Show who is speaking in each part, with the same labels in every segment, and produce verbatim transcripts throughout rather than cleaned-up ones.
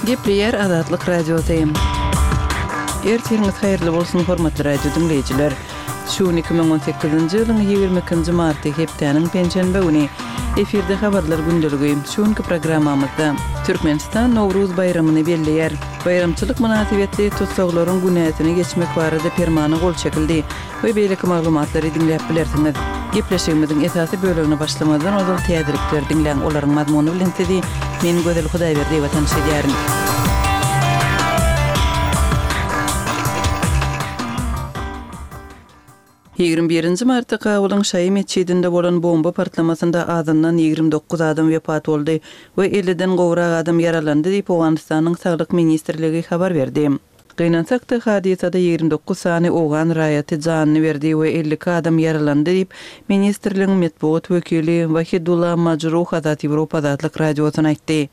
Speaker 1: Gepleýär Azatlyk Radiosy. Ertiriňiz haýyrly bolsun, hormatly radio diňleýjiler. Şu gün iki müň on sekizinji ýylyň ýigrimi ikinji marty, hepdäniň penşenbe güni. Efirde habarlar gündeligi. Şu günki programmamyzda Türkmenistan Nowruz baýramyny belleýär. Baýramçylyk mynasybetli tussaglaryň günäsini geçmek barada permana gol çekildi we beýleki maglumatlary diňläp bilersiňiz. Gepleşigimiziň esasy bölegine başlamazdan ozal täzelikleri diňläň, olaryň mazmuny bilen sizi men Gözel Hudaýberdiýewa tanyş edýärin. Ýigrimi birinji martda Kabulyň Şaýy metjidinde bolan bomba partlamasynda azyndan ýigrimi dokuz adam wepat boldy we elliden gowrak adam ýaralandy diýip, Owganystanyň Saglyk ministrligi habar berdi. Gynansak-da, hadysada ýigrimi dokuz sany owgan raýaty janyny berdi we elli iki adam ýaralandy diýip, ministrligiň metbugat wekili Wahidullah Majruh Azat Ýewropa Azatlyk Radiosyna aýtdy.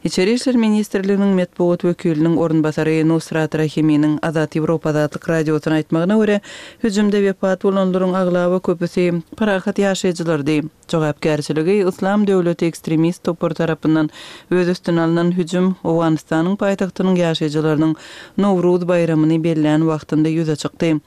Speaker 1: Içeri işler ministrliginiň metbugat wekiliniň orunbasary Nusrat Rahiminiň Azat Ýewropa Azatlyk Radiosyna aýtmagyna görä, hüjümde wepat bolanlaryň aglaba köpüsi parahat ýaşaýjylardy. Jogapkärçiligi Yslam döwleti ekstremist topary tarapyndan öz üstüne alnan hüjüm Owganystanyň paýtagtynyň ýaşaýjylarynyň Nowruz baýramyny bellän wagtynda ýüze çykdy.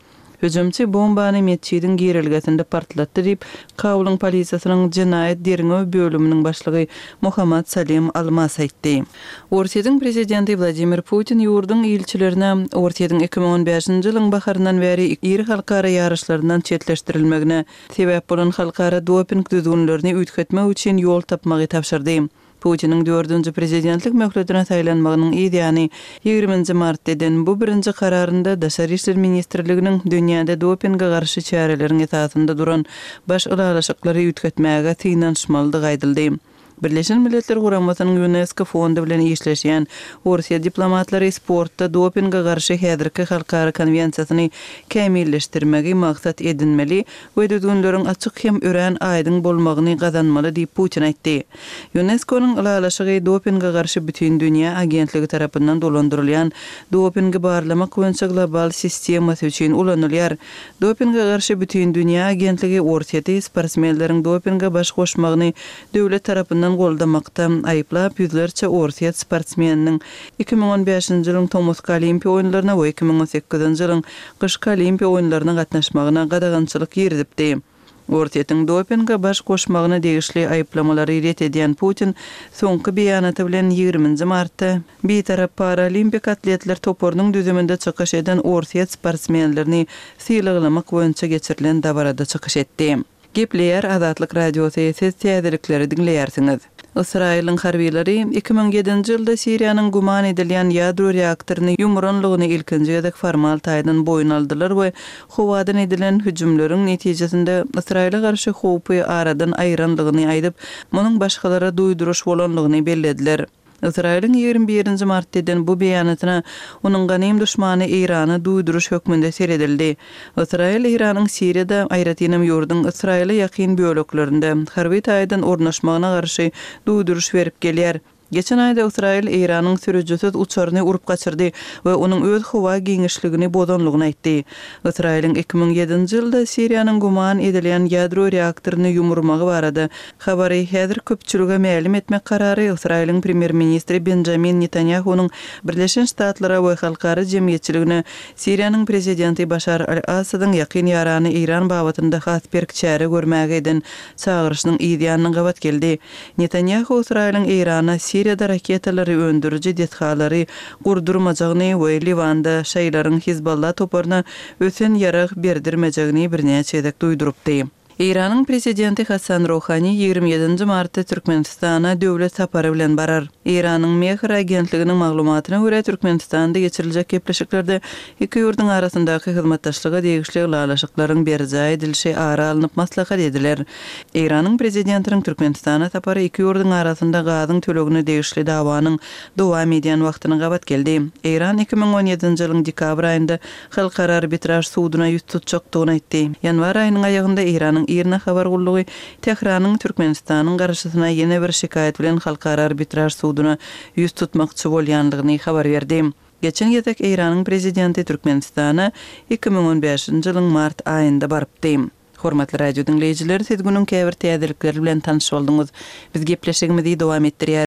Speaker 1: Hüjümçi bombany metjidiň girelgesinde partlatdy diýip, Kabulyň polisiýasynyň jenaýat derňew bölüminiň başlygy Mohammad Salim Almas aýtdy. Orsýetiň prezidenti Wladimir Putin ýurduň ilçilerine Orsýetiň iki müň on bäşinji ýylyň baharyndan bäri iri halkara ýaryşlaryndan çetleşdirilmegine sebäp bolan halkara doping düzgünlerini üýtgetmek üçin ýol tapmagy tabşyrdy. Putiniň dördünji prezidentlik möhletine saýlanmagynyň yz ýany ýigriminji martda eden bu birinji kararynda Daşary işler ministrliginiň dünýäde dopinge garşy çäreleriň esasynda duran baş ylalaşyklary üýtgetmäge synanyşmalydygy aýdyldy. Birleşen Milletler Guramasynyň Ýunesko fondy bilen işleşýän Orsýet diplomatlary sportda dopinge garşy häzirki halkara konwensiýasyny kämilleşdirmegi maksat edinmeli we düzgünleriň açyk hem örän aýdyň bolmagyny gazanmaly diýip Putin aýtdy. Ýunesko-nyň ylalaşygy dopinge garşy bütindünýä agentligi tarapyndan dolandyrylýan dopingi barlamak boýunça global sistemasy üçin ulanylýar. Dopinge garşy bütindünýä agentligi Orsýeti sportsmenleriň dopinge baş goşmagyny döwlet tarapyndan goldamakda aýyplap, ýüzlerçe orsýet sportsmeniniň iki müň on bäşinji ýylyň tomusky Olimpiýa oýunlaryna we iki müň on sekizinji ýylyň gyşky Olimpiýa oýunlaryna gatnaşmagyna gadagançylyk girizipdi. Orsýetiň dopinge baş goşmagyna degişli aýyplamalary ret edýän Putin soňky beýanaty bilen ýigriminji martda Bitarap paralimpik atletler toparynyň düzüminde çykyş eden orsýet sportsmenlerini sylaglamak boýunça geçirilen dabarada çykyş etdi. Gepleýär Azatlyk Radiosy, siz täzelikleri diňleýärsiňiz. Ysraýylyň harbylary iki müň ýedinji ýylda Siriýanyň güman edilýän ýadro reaktoryny ýumuranlygyny ilkinji gezek formal taýdan boýun aldylar we howadan edilen hüjümleriň netijesinde Ysraýyla garşy howpy aradan aýyranlygyny aýdyp, munuň başgalara duýduryş bolanlygyny bellediler. Ysraýylyň ýigrimi birinji martda eden bu beýanatyna onuň ganym duşmany Eýrana duýduryş hökmünde seredildi. Ysraýyl Eýranyň Siriýada, aýratynam ýurduň Ysraýyla ýakyn böleklerinde harby taýdan ornaşmagyna garşy duýduryş berip gelýär. Geçen aýda Ysraýyl Eýranyň sürüjisiz uçaryny urup gaçyrdy we onuň öz howa giňişligini bozanlygyny aýtdy. Ysraýylyň iki müň ýedinji ýylda Siriýanyň güman edilýän ýadro reaktoryny ýumurmagy barada habary häzir köpçülige mälim etmek karary Ysraýylyň premýer-ministri Benjamin Netanýahunyň Birleşen Ştatlara we halkara jemgyýetçiligine Siriýanyň prezidenti Başar al-Assadyň ýakyn ýarany Eýran babatynda has berk çäre görmäge eden çagyryşynyň yz ýanyna gabat geldi. Netanýahu Ysraýylyň Eýrana Siriýada raketalary öndüriji desgalary gurdurmajagyny we Liwanda şaýylaryň Hizballah toparyna ösen ýarag berdirmejegini birnäçe gezek duýdurypdy. Eýranyň prezidenti Hasan Rohani ýigrimi ýedinji martda Türkmenistana döwlet sapary bilen barar. Eýranyň Mehr agentliginiň maglumatyna görä, Türkmenistanda geçiriljek gepleşiklerde iki ýurduň arasyndaky hyzmatdaşlyga degişli ylalaşyklaryň berjaý edilişi ara alnyp maslahat ediler. Eýranyň prezidentiniň Türkmenistana sapary iki ýurduň arasynda gazyň tölegine degişli dawanyň dowam edýän wagtyna gabat geldi. Eýran iki müň on ýedinji ýylyň dekabr aýynda Halkara arbitraž suduna ýüz tutjakdygyny aýtdy. Ýanwar aýynyň aýagynda Eýranyň IRNA habar gullugy Tähranyň Türkmenistanyň garşysyna ýene bir şikaýat bilen Halkara arbitraž suduna ýüz tutmakçy bolýandygyny habar berdi. Geçen gezek Eýranyň prezidenti Türkmenistana iki müň on bäşinji ýylyň mart aýynda barypdy. Hormatly radio diňleýjiler, siz günüň käbir täzelikleri bilen tanyş bolduňyz. Biz gepleşigimizi dowam etdirýäris.